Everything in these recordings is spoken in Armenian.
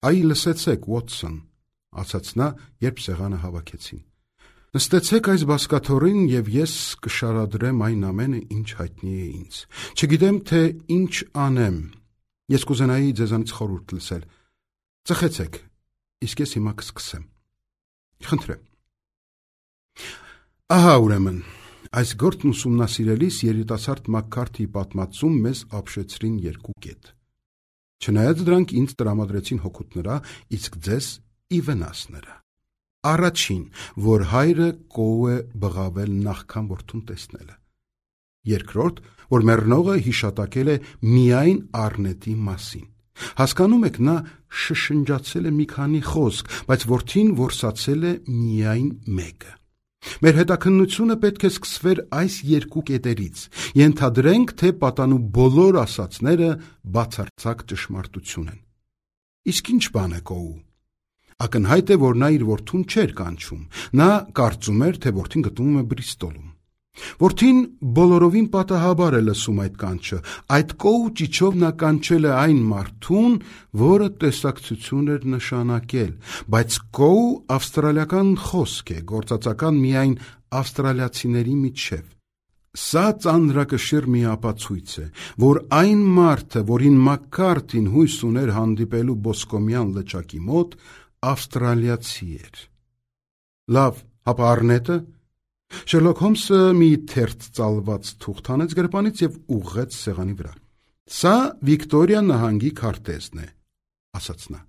Այ լսեցեք, Ուոտսոն, ասաց նա, երբ սեղանը հավաքեցին. նստեցեք այս բազկաթոռին և ես կշարադրեմ այն ամենը, ինչ հայտնի է ինձ։ Չգիտեմ, թե ինչ անեմ, ես կուզենայի ձեզանից խորհուրդ լսել։ Ծխեցեք, իսկ ես հիմա կսկսեմ։ Խնդրեմ։ Ահա ուրեմն, այս գործն ուսումնասիրելիս երիտասարդ Մաքքարթիի պատմածում մեզ ապշեցրին երկու կետ։ Չնայած դրանք ինձ տրամադրեցին հօգուտ նրա, իսկ ձեզ ի վնաս նրա։ Առաջին, որ հայրը կոու է բղավել նախքան որդուն տեսնելը։ Երկրորդ, որ մեռնողը հիշատակել է միայն առնետի մասին։ Հասկանում եք, նա շշնջացել է մի քանի խոսք, բայց որդին որսացել է միայն մեկը։ Մեր հետաքննությունը պետք է սկսվեր այս երկու կետերից։ Ենթադրենք, թե պատանու բոլոր ասածները բացարձակ ճշմարտություն են։ Իսկ ինչ բան է կոու։ Ակնհայտ է, որ նա իր որդուն չէր կանչում։ Նա կարծում էր, թե որդին գտնվում է Բրիստոլում։ Որդին բոլորովին պատահաբար է լսում այդ կանչը։ Այդ կոու ճիչով նա կանչել է այն մարդուն, որը տեսակցություն էր նշանակել, բայց կոու ավստրալիական խոսք է, գործածական միայն ավստրալիացիների միջև։ Սա ծանրակշիռ մի ապացույց է, որ այն մարդը, որին Մաքքարթին հույս ուներ հանդիպելու Բոսկոմյան լճակի մոտ, ավստրալիացի էր։ Լավ, հապա առնետը։ Շերլոք Հոլմսը մի թերթ ծալված թուղթ հանեց գրպանից և ուղղեց սեղանի վրա։ Սա Վիկտորիա նահանգի քարտեզն է, ասաց նա։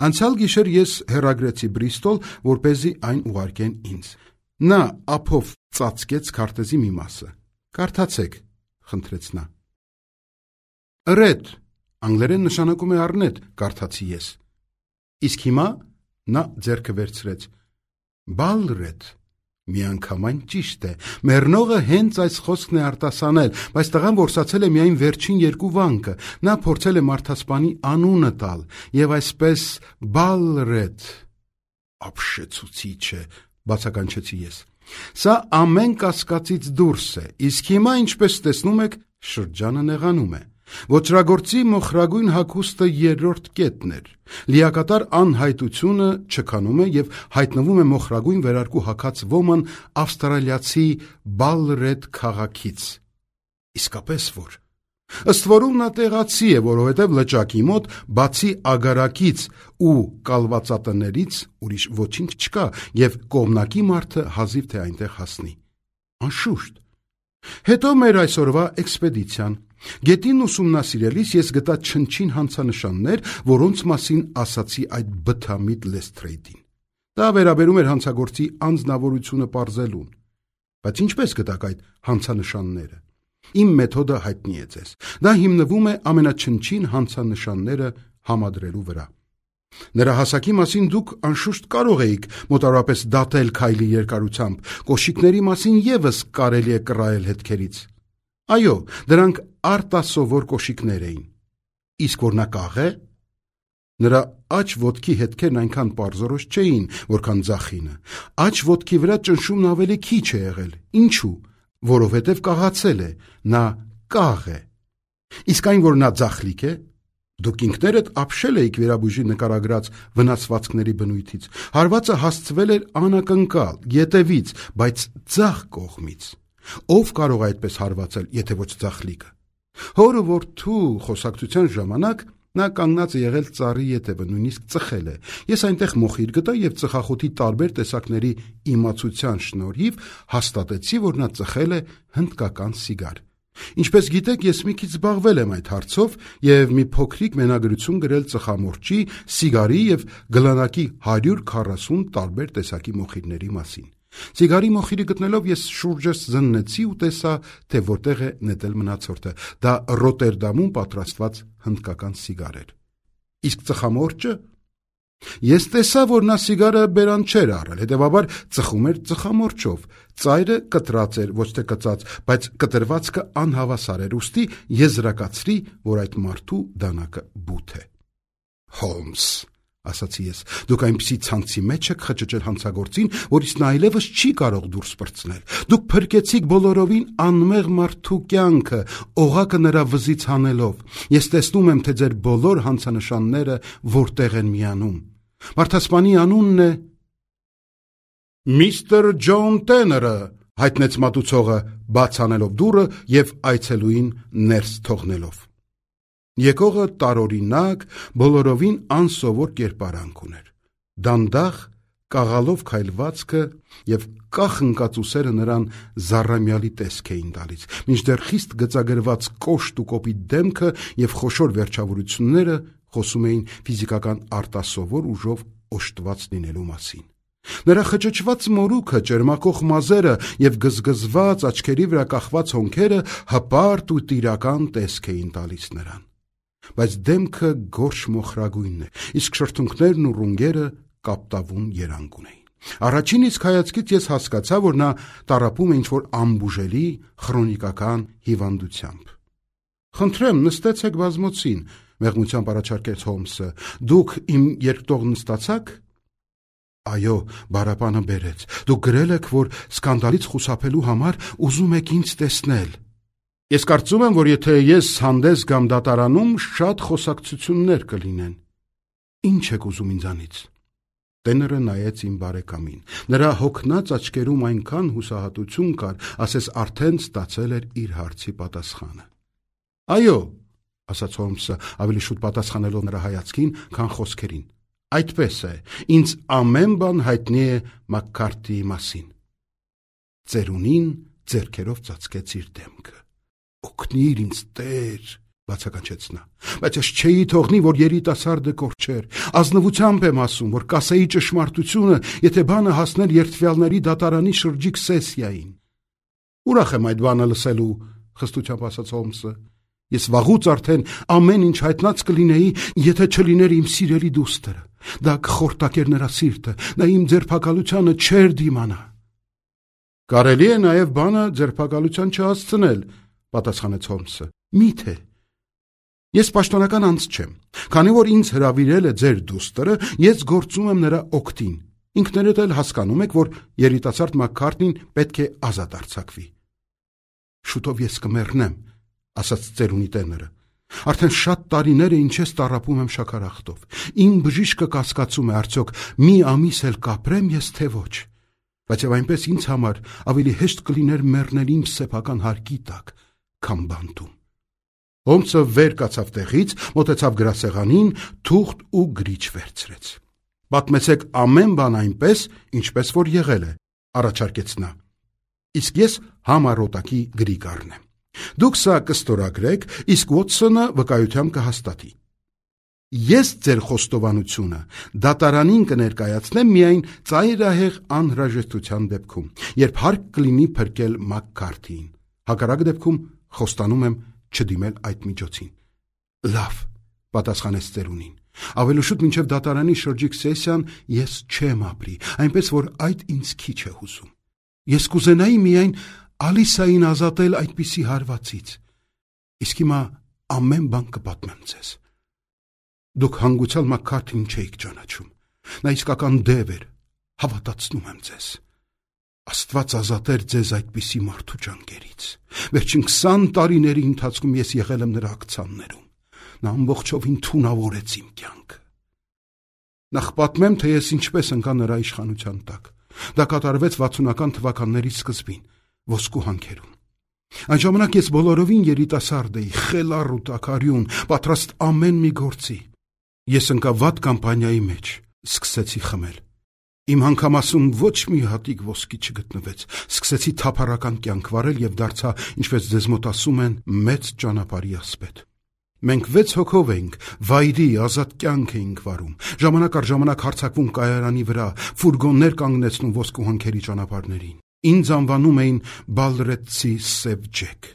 Անցյալ գիշեր ես հեռագրեցի Բրիստոլ, որպեսզի այն ուղարկեն ինձ։ Նա ափով ծածկեց քարտեզի մի մասը։ Կարդացեք, խնդրեց նա։ Ըրետ, անգլերեն նշանակում է առնետ, կարդացի ես։ Իսկ հիմա նա ձեռքը վերցրեց։ Բալրեդ, միանգամայն ճիշտ է, մեռնողը հենց այս խոսքն է արտասանել, բայց տղան որսացել է միայն վերջին երկու վանկը, նա փորձել է մարդասպանի անունը տալ, և այսպես Բալրեդ, ապշեցուցիչ է, բացականչեցի ես։ Սա ամեն կասկածից դուրս է, իսկ հիմա, ինչպես տեսնում եք, շրջանը նեղանում է։ Ոճրագործի մոխրագույն հագուստը երրորդ կետն էր։ Լիակատար անհայտությունը չքանում է և հայտնվում է մոխրագույն վերարկու հագած ոման ավստրալիացի Բալրեդ քաղաքից։ Իսկապես որ։ Ըստ որում նա տեղացի է, որովհետև լճակի մոտ, բացի ագարակից ու կալվածատներից, ուրիշ ոչինչ չկա, և կողմնակի մարդը հազիվ թե այնտեղ հասնի։ Անշուշտ։ Հետո մեր այսօրվա էքսպեդիցիան։ Գետին ուսումնասիրելիս ես գտա չնչին հանցանշաններ, որոնց մասին ասացի այդ բթամիտ Լեսթրեյդին։ Դա վերաբերում էր հանցագործի անձնավորությունը պարզելուն։ Բայց ինչպես գտաք այդ հանցանշանները։ Իմ մեթոդը հայտնի է ձեզ։ Դա հիմնվում է ամենաչնչին հանցանշանները համադրելու վրա։ Նրա հասակի մասին դուք անշուշտ կարող էիք մոտավորապես դատել քայլի երկարությամբ, կոշիկների մասին ևս կարելի է կռահել հետքերից։ Այո, դրանք արտասովոր կոշիկներ էին։ Իսկ որ նա կաղ է։ Նրա աջ ոտքի հետքերն այնքան պարզորոշ չէին, որքան ձախինը։ Աջ ոտքի վրա ճնշումն ավելի քիչ է եղել։ Ինչու։ Որովհետև կաղացել է, նա կաղ է։ Իսկ այն, որ նա ձախլիկ է, դուք ինքներդ ապշել էիք վերաբույժի նկարագրած վնասվածքների բնույթից։ Հարվածը հասցվել էր անակնկալ, ետևից, բայց ձախ կողմից։ Ով կարող է այդպես հարվածել, եթե ոչ ձախլիկը։ Հորը որդու խոսակցության ժամանակ նա կանգնած է եղել ծառի ետևը, նույնիսկ ծխել է։ Ես այնտեղ մոխիր գտա և ծխախոտի տարբեր տեսակների իմացության շնորհիվ հաստատեցի, որ նա ծխել է հնդկական սիգար։ Ինչպես գիտեք, ես մի քիչ զբաղվել եմ այդ հարցով և մի փոքրիկ մենագրություն գրել ծխամորճի, սիգարի և գլանակի 140 տարբեր տեսակի մոխիրների մասին։ Սիգարի մոխիրի գտնելով ես շուրջս զննեցի ու տեսա, թե որտեղ է նետել մնացորդը։ Դա Ռոտերդամում պատրաստված հնդկական սիգար էր։ Իսկ ծխամորճը։ Ես տեսա, որ նա սիգարը բերան չէր առել, հետևաբար ծխում էր ծխամորճով։ Ծայրը կտրած էր, ոչ թե կծած, բայց կտրվածքը անհավասար էր, ուստի եզրակացրի, որ այդ մարդու դանակը բութ է։ Հոլմս, ասացի ես, դուք այնպիսի ցանցի մեջ եք խճճել հանցագործին, որից նա այլևս չի կարող դուրս պրծնել։ Դուք փրկեցիք բոլորովին անմեղ մարդու կյանքը, օղակը նրա վզից հանելով։ Ես տեսնում եմ, թե ձեր բոլոր հանցանշանները որտեղ են միանում։ Մարդասպանի անունն է Միսթր Ջոն Տեները, հայտնեց մատուցողը, բաց անելով դուռը եւ այցելուին ներս թողնելով։ Եկողը տարօրինակ, բոլորովին անսովոր կերպարանք ուներ։ Դանդաղ, կաղալով քայլվածքը եւ կախնկած ուսերը նրան զառամյալի տեսք էին տալիս, մինչդեռ խիստ գծագրված կոշտ ու կոպիտ դեմքը եւ խոշոր վերջավորությունները խոսում էին ֆիզիկական արտասովոր ուժով օժտված լինելու մասին։ Նրա խճճված մորուքը, ճերմակող մազերը եւ գզգզված աչքերի վրա կախված հոնքերը հպարտ ու տիրական տեսք էին տալիս նրան։ Բայց դեմքը գորշ մոխրագույնն է, իսկ շրթունքներն ու ռունգերը կապտավուն երանգ ունեին։ Առաջին իսկ հայացքից ես հասկացա, որ նա տառապում է ինչ-որ անբուժելի քրոնիկական հիվանդությամբ։ «Խնդրեմ, նստեցեք բազմոցին», մեղմությամբ առաջարկեց Հոլմսը։ «Դուք իմ երկտող նստացաք»։ «Այո», բարապանը բերեց։ «Դուք գրել եք, որ սկանդալից խուսափելու համար ուզում եք ինձ տեսնել»։ «Ես կարծում եմ, որ եթե ես հանդես գամ դատարանում, շատ խոսակցություններ կլինեն»։ «Ինչ եք ուզում ինձանից»։ Տեները նայեց իմ բարեկամին։ Նրա հոգնած աչքերում այնքան հուսահատություն կար, ասես արդեն ստացել էր իր հարցի պատասխանը։ «Այո», ասաց Հոլմսը, ավելի շուտ պատասխանելով նրա հայացքին, քան խոսքերին։ «Այդպես է, ինձ ամեն բան հայտնի է Մաքքարթիի մասին»։ Ծերունին ձեռքերով ծածկեց իր դեմքը։ «Օգնիր ինձ, Տեր», բացականչեց նա, «բայց ես չէի թողնի, որ երիտասարդը կորչեր։ Ազնվությամբ եմ ասում, որ կասեի ճշմարտությունը, եթե բանը հասներ երդվյալների դատարանի շրջիկ սեսիային»։ «Ուրախ եմ այդ բանը լսելու», խստությամբ ասաց Հոլմսը։ «Ես վաղուց արդեն ամեն ինչ հայտնած կլինեի, եթե չլիներ իմ սիրելի դուստրը։ Դա կխորտակեր նրա սիրտը, նա իմ ձերբակալությանը չէր դիմանա»։ «Կարելի է նաև բանը ձերբակալության չհասցնել», պատասխանեց Հոլմսը։ «Մի՞թե»։ «Ես պաշտոնական անձ չեմ։ Քանի որ ինձ հրավիրել է ձեր դուստրը, ես գործում եմ նրա օգտին։ Ինքներդ էլ հասկանում եք, որ երիտասարդ Մաքքարթին պետք է ազատ արձակվի»։ «Շուտով ես կմեռնեմ», ասաց ծերունի Տեները։ «Արդեն շատ տարիներ է ինչ ես տառապում եմ շաքարախտով։ Իմ բժիշկը կասկածում է, արդյոք մի ամիս էլ կապրեմ ես, թե ոչ։ Բայց եւ այնպես ինձ համար ավելի հեշտ կլիներ մեռնել իմ սեփական հարկի տակ, քան բանտում»։ Հոլմսը վեր կացավ տեղից, մոտեցավ գրասեղանին, թուղթ ու գրիչ վերցրեց։ «Պատմեցեք ամեն բան այնպես, ինչպես որ եղել է», առաջարկեց նա։ «Իսկ ես համառոտակի գրի կառնեմ։ Դուք սա կստորագրեք, իսկ Ուոթսոնը վկայությամբ կհաստատի։ Ես ձեր խոստովանությունը դատարանին կներկայացնեմ միայն ծայրահեղ անհրաժեշտության դեպքում, երբ հարկ կլինի փրկել Մաքքարթիին։ Հակառակ դեպքում խոստանում եմ չդիմել այդ միջոցին»։ «Լավ», պատասխանեց ծերունին։ «Ավելի շուտ մինչև դատարանի շրջիկ սեսիան ես չեմ ապրի, այնպես որ այդ ինձ քիչ է հուզում։ Ես կուզենայի միայն Ալիսային ազատել այդպիսի հարվածից։ Իսկ հիմա ամեն բան կպատմեմ ձեզ։ Դուք հանգուցյալ Մաքքարթին չէիք ճանաչում։ Նա իսկական դև էր, հավատացնում եմ ձեզ։ Աստված ազատեր ձեզ այդպիսի մարդու ջանքերից։ Վերջին 20 տարիների ընթացքում ես եղել եմ նրա ակցաններում։ Նա ամբողջովին թունավորեց իմ կյանքը։ Նախ պատմեմ, թե ես ինչպես ընկա նրա իշխանության տակ։ Դա կատարվեց 60-ական թվականների սկզբին, ոսկու հանքերում։ Այն ժամանակ ես բոլորովին երիտասարդ էի, խելառ ու տաքարյուն, պատրաստ ամեն մի գործի։ Ես ընկա վատ կամպանիայի մեջ, սկսեցի խմել։ Իմ հանգամասում ոչ մի հատիկ ոսկի չգտնվեց, սկսեցի թափառական կյանք վարել եւ դարձա, ինչպես ձեզ մոտ ասում են, մեծ ճանապարհի ասպետ։ Մենք 6 հոգով էինք, վայրի, ազատ կյանք էինք վարում, ժամանակ առ ժամանակ հարձակվում կայարանի վրա, ֆուրգոններ կանգնեցնում ոսկու հանքերի ճանապարհներին։ Ինձ անվանում էին Բալրետցի Սև Ջեք։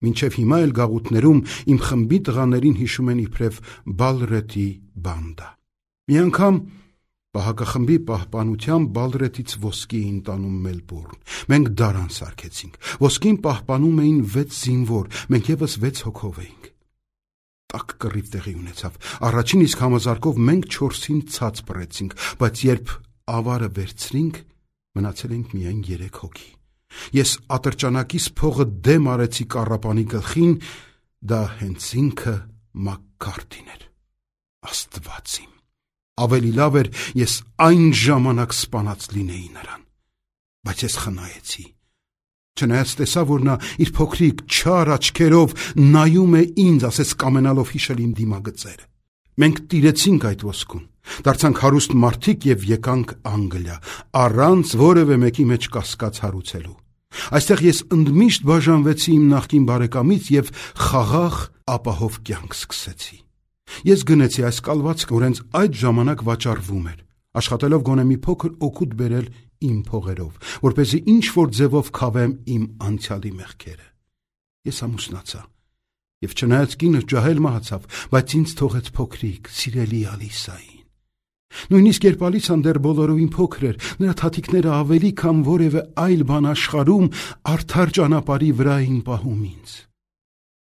Մինչև հիմա էլ գաղութներում իմ խմբի տղաներին հիշում են իբրև Բալրետի բանդա։ Մի անգամ պահակախմբի պահպանությամբ Բալրետից ոսկի էին տանում Մելբուրն։ Մենք դարան սարքեցինք։ Ոսկին պահպանում էին 6 զինվոր, մենք եւս 6 հոգով էինք։ Տաք կռիվ տեղի ունեցավ։ Առաջին իսկ համազարկով մենք 4-ին ցած բռեցինք, բայց երբ ավարը վերցրինք, մնացել ենք միայն 3 հոգի։ Ես ատրճանակիս փողը դեմ արեցի կառապանի գլխին, դա հենց ինքը Մակքարթին էր։ Աստված իմ, ավելի լավ էր ես այն ժամանակ սպանած լինեի նրան, բայց ես խնայեցի։ Չնայած տեսա, որ նա իր փոքրիկ չար աչքերով նայում է ինձ, ասես կամենալով հիշել իմ դիմագծերը։ Մենք տիրեցինք այդ ոսկուն, դարձանք հարուստ մարդիկ եւ եկանք Անգլիա, առանց որևէ մեկի մեջ կասկած հարուցելու։ Այստեղ ես ընդմիշտ բաժանվեցի իմ նախկին բարեկամից եւ խաղաղ ապահով կյանք սկսեցի։ Ես գնեցի այս կալվածքը, որ հենց այդ ժամանակ վաճառվում էր, աշխատելով գոնե մի փոքր օգուտ բերել իմ փողերով, որպեսզի ինչ-որ ձևով քավեմ իմ անցյալի մեղքերը։ Ես ամուսնացա, եւ չնայած կինը ջահել մահացավ, բայց ինձ թողեց փոքրիկ, սիրելի Ալիսային։ Նույնիսկ երբ Ալիսան դեռ բոլորովին փոքր էր, նրա թաթիկները ավելի քան որևէ այլ բան աշխարհում արդար ճանապարհի վրա էին պահում ինձ։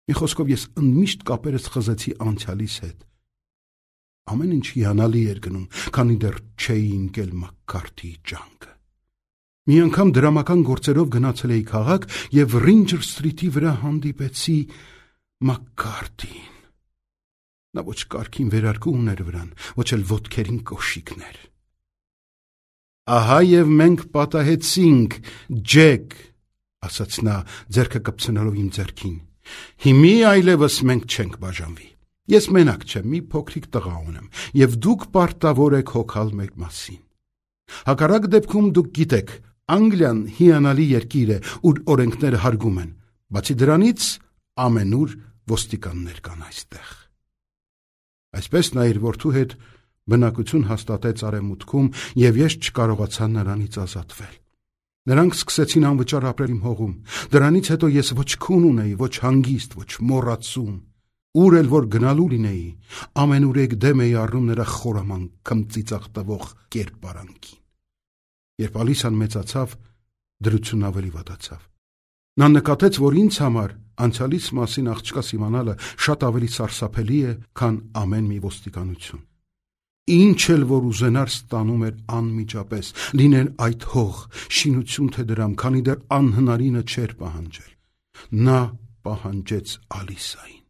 Մի խոսքով ես ընդմիշտ կապերս խզեցի անցյալիս հետ։ Ամեն ինչ հիանալի էր գնում, քանի դեռ չէի ընկել Մակքարթիի ջանքը։ Մի անգամ դրամական գործերով գնացել էի քաղաք եւ Ռինջեր Սթրիթի վրա հանդիպեցի Մակքարթիին։ Նա ոչ կարգին վերարկու ուներ վրան, ոչ էլ ոտքերին կոշիկներ։ Ահա եւ մենք պատահեցինք, Ջեք, ասաց նա, ձեռքը կպցնելով իմ ձեռքին։ Հիմի այլևս մենք չենք բաժանվի։ Ես մենակ չեմ, մի փոքրիկ տղա ունեմ, եւ դուք պարտավոր եք հոգալ մեր մասին։ Հակառակ դեպքում դուք գիտեք, Անգլիան հիանալի երկիր է, ուր օրենքները հարգում են, բացի դրանից ամենուր ոստիկաններ կան այստեղ։ Այսպես նա իր որդու հետ բնակություն հաստատեց արևմուտքում, եւ ես չկարողացա նրանից ազատվել։ Նրանք սկսեցին անվճար ապրել իմ հողում։ Դրանից հետո ես ոչ քուն ունեի, ոչ հանգիստ, ոչ մոռացում։ Ուր էլ որ գնալու լինեի, ամենուրեք դեմ էի առնում նրա խորամանկ քմծիծաղ տվող կերպարանքին։ Երբ Ալիսան մեծացավ, դրությունն ավելի վատացավ։ Նա նկատեց, որ ինձ համար անցյալից մասին աղջկաս իմանալը շատ ավելի սարսափելի է, քան ամեն մի ոստիկանություն։ Ինչ էլ որ ուզենար ստանում էր անմիջապես, լիներ այդ հող, շինություն թե դրամ, քանի դեռ անհնարինը չէր պահանջել։ Նա պահանջեց Ալիսային։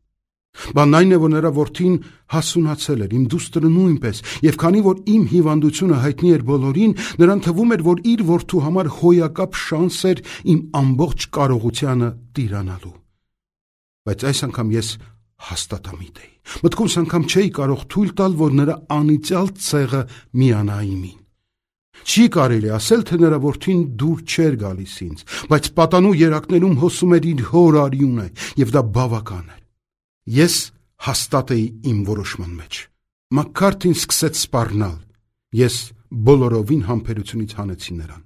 Բանն այն է, որ նրա որդին հասունացել էր, իմ դուստրը նույնպես, եւ քանի որ իմ հիվանդությունը հայտնի էր բոլորին, նրան թվում էր, որ իր որդու համար հոյակապ շանս էր իմ ամբողջ կարողությանը տիրանալու։ Բայց այս անգամ ես հաստատամիտ էի։ Մտքումս անգամ չէի կարող թույլ տալ, որ նրա անիծյալ ցեղը միանա իմին։ Չի կարելի ասել, թե նրա որդին դուր չէր գալիս ինձ, բայց պատանու երակներում հոսում էր իր հոր արյունը, եւ դա բավական էր։ Ես հաստատ էի իմ որոշման մեջ։ Մակքարթին սկսեց սպառնալ։ Ես բոլորովին համբերությունից հանեցի նրան։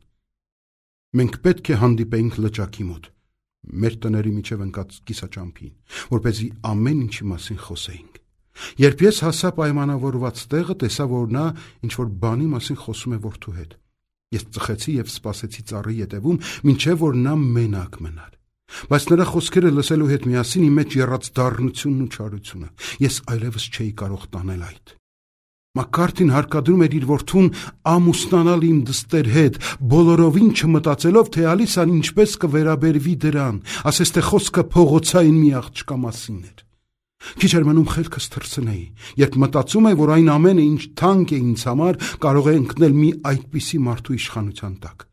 Մենք պետք է հանդիպեինք լճակի մոտ, մեր տների միջև ընկած կիսաճամփին, որպեսզի ամեն ինչի մասին խոսեինք։ Երբ ես հասա պայմանավորված տեղը, տեսա, որ նա ինչ-որ բանի մասին խոսում է որդու հետ։ Ես ծխեցի եւ սպասեցի ծառի ետևում, մինչեւ որ նա մենակ մնար։ Բայց նրա խոսքերը լսելու հետ միասին իմ մեջ եռաց դառնությունն ու չարությունը։ Ես այլևս չէի կարող տանել այդ։ Մակքարթին հարկադրում էր իր որդուն ամուսնանալ իմ դստեր հետ, բոլորովին չմտածելով, թե Ալիսան ինչպես կվերաբերվի դրան, ասես թե խոսքը փողոցային մի աղջկա մասին էր։ Քիչ էր մնում խելքս թռցնեի, երբ մտածում եմ, որ այն ամենը, ինչ թանկ է ինձ համար, կարող է ընկնել մի այդպիսի մարդու իշխանության տակ։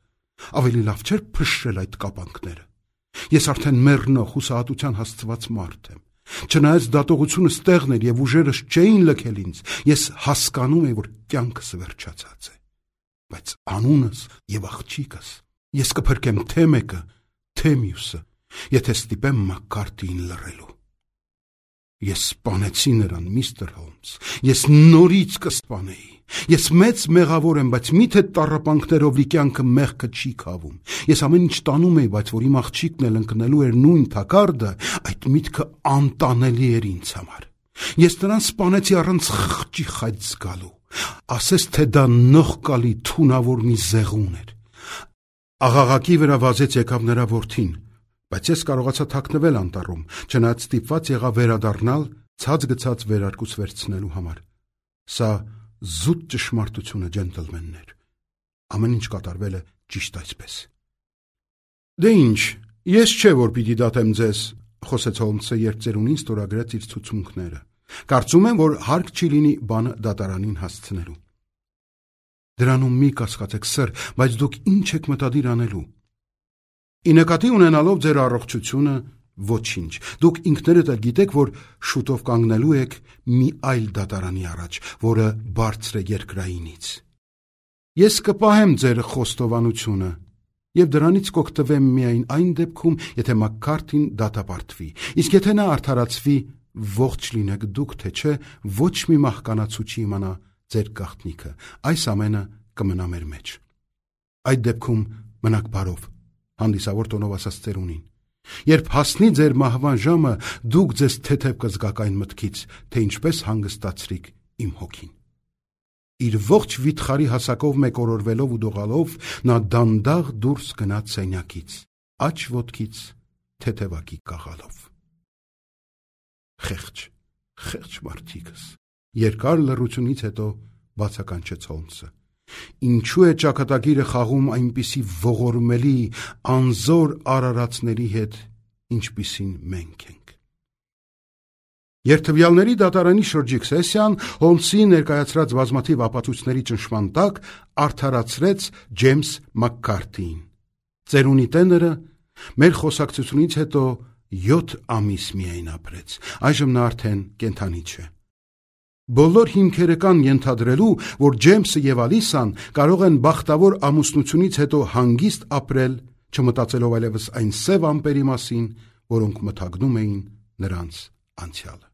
Ավելի լավ չէր փշրել այդ կապանքները։ Ես արդեն մեռնող հուսահատության հասցված մարդ եմ։ Չնայած դատողությունը ստեղն էր եւ ուժերս չէին լքել ինձ, ես հասկանում եմ, որ կյանքս վերջացած է։ Բայց անունս եւ աղջիկս ես կփրկեմ թե մեկը, թե մյուսը, եթե ստիպեմ Մակքարթիին լռելու։ Ես սպանեցի նրան, միստր Հոլմս, ես նորից կսպանեի։ Ես մեծ մեղավոր եմ, բայց միթե տառապանքներով լի կյանքը մեղքը չի քավում։ Ես ամեն ինչ տանում էի, բայց որ իմ աղջիկն էլ ընկնելու էր նույն թակարդը, այդ միտքը անտանելի էր ինձ համար։ Ես նրան սպանեցի առանց խղճի խայծ զգալու։ Ասես թե դա նողկալի թունավոր մի զեղուն էր։ Աղաղակի վրա վազեց եկավ նրա որդին, բայց ես կարողացա թաքնվել անտառում, չնայած ստիպված եղա վերադառնալ ցած գցած վերարկուց վերցնելու համար։ Սա զուտ ճշմարտություն է, ջենտլմեններ։ Ամեն ինչ կատարվել է ճիշտ այսպես։ Դե ինչ, ես չէ որ պիտի դատեմ ձեզ, խոսեց Հոլմսը, երբ ծերունին ստորագրեց իր ցուցմունքները։ Կարծում եմ, որ հարկ չի լինի բանը դատարանին հասցնելու։ Դրանում մի կասկածեք, սըր, բայց դուք ինչ եք մտադիր անելու։ Ի նկատի ունենալով ձեր առողջությունը, ոչինչ։ Դուք ինքներդ էլ գիտեք, որ շուտով կանգնելու եք մի այլ դատարանի առաջ, որը բարձր է երկրայինից։ Ես կպահեմ ձեր խոստովանությունը եւ դրանից կօգտվեմ միայն այն դեպքում, եթե Մաքքարթին դատապարտվի։ Իսկ եթե նա արդարացվի, ողջ լինեք դուք, թե չէ, ոչ մի մահկանացու չի իմանա ձեր գաղտնիքը։ Այս ամենը կմնա մեր մեջ։ Այդ դեպքում մնաք բարով, հանդիսավոր տոնով ասաց ծերունին։ Երբ հասնի ձեր մահվան ժամը, դուք ձեզ թեթև կզգաք այն մտքից, թե ինչպես հանգստացրիք իմ հոգին։ Իր ողջ վիթխարի հասակով մեկօրորվելով ու դողալով, նա դանդաղ դուրս գնաց սենյակից, աջ ոտքից թեթևակի կաղալով։ Խեղճ մարդիկս, երկար լռությունից հետո բացականչեց Հոլմսը։ Ինչու է ճակատագիրը խաղում այնպիսի ողորմելի, անզոր արարածների հետ, ինչպիսին մենք ենք։ Երթվյալների դատարանի շրջիկ սեսիան Հոլմսի ներկայացրած բազմաթիվ ապացույցների ճնշման տակ արդարացրեց Ջեյմս Մաքքարթիին։ Ծերունի տեները մեր խոսակցությունից հետո 7 ամիս միայն ապրեց, այժմ նա արդեն կենդանի չէ։ Բոլոր հիմքերը կան ենթադրելու, որ Ջեյմսը եւ Ալիսան կարող են բախտավոր ամուսնությունից հետո հանգիստ ապրել, չմտածելով այլևս այն սև ամպերի մասին, որոնք մթագնում էին նրանց անցյալը։